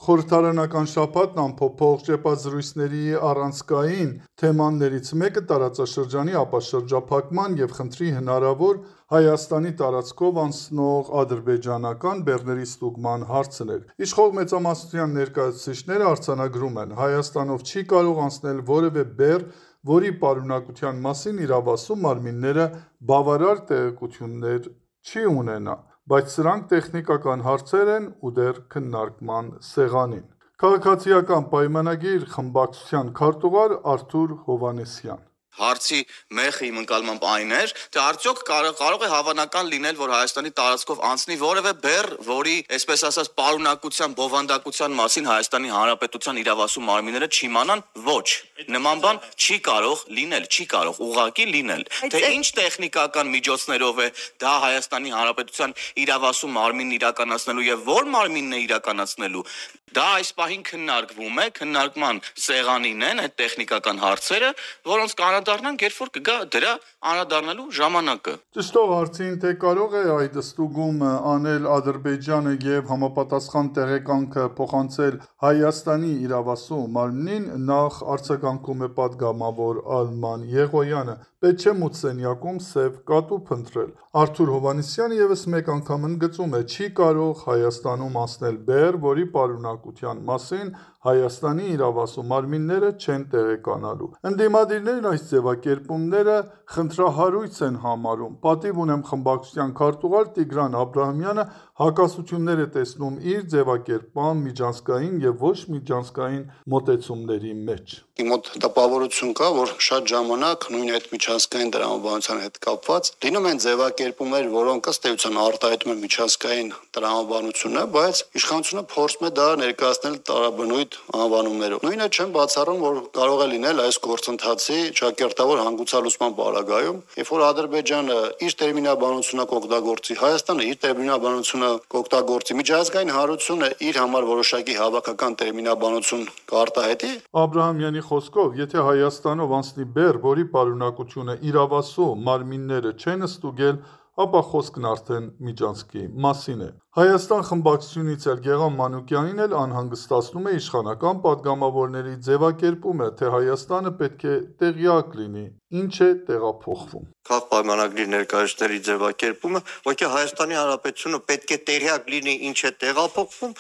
Խորհրդարանական շաբաթն անփոփոխ ճեպազրույցների առանցքային թեմաներից մեկը տարածաշրջանի ապաշրջափակման և խնդրի հնարավոր Հայաստանի տարածքով անցնող ադրբեջանական բեռների ստուգման հարցն էր։ Իշխող մեծամասնության ներկայացուցիչները արձանագրում են՝ Հայաստանով չի կարող անցնել որևէ բեռ, որի պարունակության մասին իրավասու մարմինները բավարար տեղեկություններ չի ունենա, բայց սրանք տեխնիկական հարցեր են ու դեռ քննարկման սեղանին։ Քաղաքացիական պայմանագիր խմբակցության քարտուղար Արթուր Հովհաննիսյան: Հարցի մեխը իմ ընկալմամբ այն էր, թե արդյոք կարող է հավանական լինել, որ Հայաստանի տարածքով անցնի որևէ բեռ, որի, այսպես ասած, պարունակության, բովանդակության մասին Հայաստանի Հանրապետության իրավասու մարմինները չիմանան։ Ոչ, նման բան չի կարող լինել, չի կարող ուղղակի լինել։ Թե ինչ տեխնիկական միջոցներով է դա Հայաստանի Հանրապետության իրավասու մարմինն իրականացնելու եւ որ մարմինն է իրականացնելու, դա այս պահին քննարկվում է, քննարկման սեղանին են այդ տեխնիկական հարցերը, որոնց անդրադառնանք, երբ որ կգա դրա անդրադառնալու ժամանակը։ Ճշտող հարցին, թե կարող է այդ ստուգումը անել Ադրբեջանը եւ համապատասխան տեղեկանքը փոխանցել Հայաստանի իրավասու մարմնին, նախ արձագանքում է պատգամավոր Արման Եղոյանը։ Պետք չէ մութսենյակում սև կատու փնտրել։ Արթուր Հովհաննիսյանը եւս մեկ անգամ ընդգծում է՝ չի կարող Հայաստանում անցնել բեռ, որի պարունակության մասին Հայաստանի իրավասու մարմինները չեն տեղեկանալու։ Ընդդիմադիրներն այս ձևակերպումները խնդրահարույց են համարում։ Պատիվ ունեմ խմբակցության քարտուղար Տիգրան Աբրահամյանը հակասություններ է տեսնում իր ձևակերպման միջանցքային եւ ոչ միջանցքային մոտեցումների մեջ։ Իմ մոտ տպավորություն կա, որ շատ ժամանակ նույն այդ միջանցքային տրամաբանության հետ կապված լինում են ձևակերպումներ, որոնք ըստ էության արտահայտում են միջանցքային տրամաբանությունը, բայց իշխանությունը փորձում է դա ներկայացնել տարաբնույթ անվանումներով։ Նույնը չեմ բացառում, որ կարող է լինել այս գործընթացի ճակերտավոր հանգուցալուծման պարագայում, երբ որ Ադրբեջանը իր տերմինաբանությունը կօգտագործի, Հայաստանը իր տերմինաբանությունը կօգտագործի, միջազգային հանրությունը իր համար որոշակի հավաքական տերմինաբանություն կարտահայտի։ Աբրահամյանի խոսքով, եթե Հայաստանով անցնի բեռ, որի պարունակությունը իրավասու մարմինները չեն ստուգել, ապա խոսքն արդեն միջանցքի մասին է։ Հայաստան խմբակցությունից Գեղամ Մանուկյանին էլ անհանգստացնում է իշխանական պատգամավորների ձևակերպումը, թե Հայաստանը պետք է տեղյակ լինի, ինչ է տեղափոխվում։ Քաղ պայմանագրի ներկայացուցիչների ձևակերպումը, ոչինչ Հայաստանի Հանրապետությունը պետք է տեղյակ լինի, ինչ է տեղափոխվում,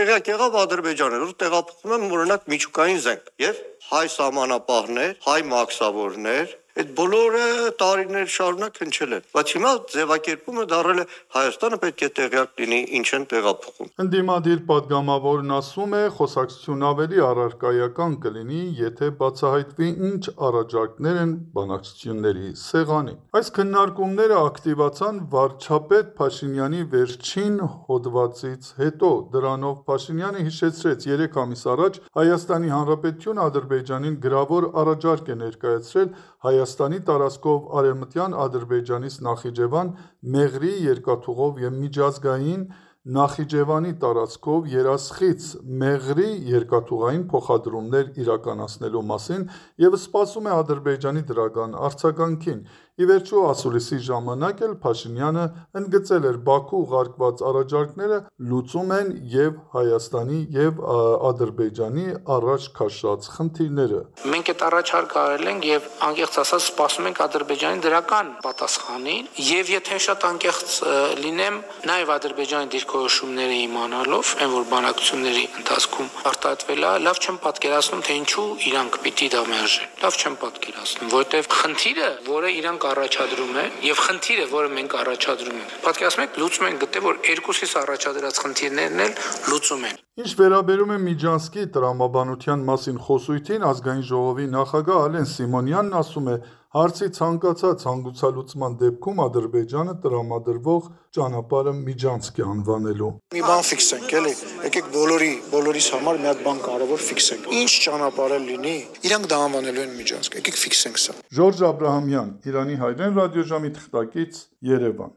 տեղյակ եղավ Ադրբեջանը, որ տեղափոխվում են օրինակ միջուկային զենք եւ հայ սահմանապահներ, հայ մաքսավորներ, այդ բոլորը տարիներ շարունակ հնչել են, բայց հիմա ձևակերպումը դառել է Հայաստանը պետք է տեղյակ լինի, ինչ են տեղափոխում։ Ընդդիմադիր պատգամավորն ասում է, խոսակցություն ավելի առարկայական կլինի, եթե բացահայտվի ինչ առաջարկներ են բանակցությունների սեղանին։ Այս քննարկումները ակտիվացան վարչապետ Փաշինյանի վերջին հոդվածից հետո։ Դրանով Փաշինյանը հիշեցրեց 3 ամիս առաջ Հայաստանի Հանրապետությունը Ադրբեջանին գրավոր առաջարկ է ներկայացրել Հայաստանի տարածքով արևմտյան Ադրբեջանից Նախիջևան Մեղրի երկաթուղով և միջազգային Նախիջևանի տարածքով Երասխից Մեղրի երկաթուղային փոխադրումներ իրականացնելու մասին և սպասում է Ադրբեջանի դրական արձագանքին։ Ի վերջո, ասուլիսի ժամանակ էլ Փաշինյանը ընդգծել էր Բաքու ուղարկված առաջարկները լուծում են և Հայաստանի և Ադրբեջանի առաջ քաշած խնդիրները։ Մենք այդ առաջարկը արել ենք և անկեղծ ասած սպասում ենք Ադրբեջանի դրական պատասխանին և եթե շատ անկեղծ լինեմ, նաև Ադրբեջանի դիրքորոշումները իմանալով, այն որ բանակցությունների ընթացքում արտահայտվել է, լավ չեմ պատկերացնում, թե ինչու իրանք պիտի դա մերժեն։ Լավ չեմ պատկերացնում, որովհետև խնդիրը, որը իրանք առաջադրում են, եւ խնդիրը, որը մենք առաջադրում ենք, պատկերացնում եք, լուծում են գտե, որ երկուսից առաջադրած խնդիրներն էլ լուծում են։ Ինչ վերաբերում է Միջանցքի տրամաբանության մասին խոսույթին, Ազգային ժողովի նախագահ Ալեն Սիմոնյանն ասում է, հարցի ցանկացած հանգուցալուծման դեպքում Ադրբեջանը տրամադրվող ճանապարհը միջանցք է անվանելու։ Մի բան ֆիքսենք, էլի, եկեք բոլորիս համար մի հատ բան կարևոր ֆիքսենք։ Ինչ ճանապարհ լինի, իրանք դա անվանելու են միջանցք, եկեք ֆիքսենք սա։ Ժորժ Աբրահամյան, Իրանի հայրեն ռադիոժամի թղթակից, Երևան։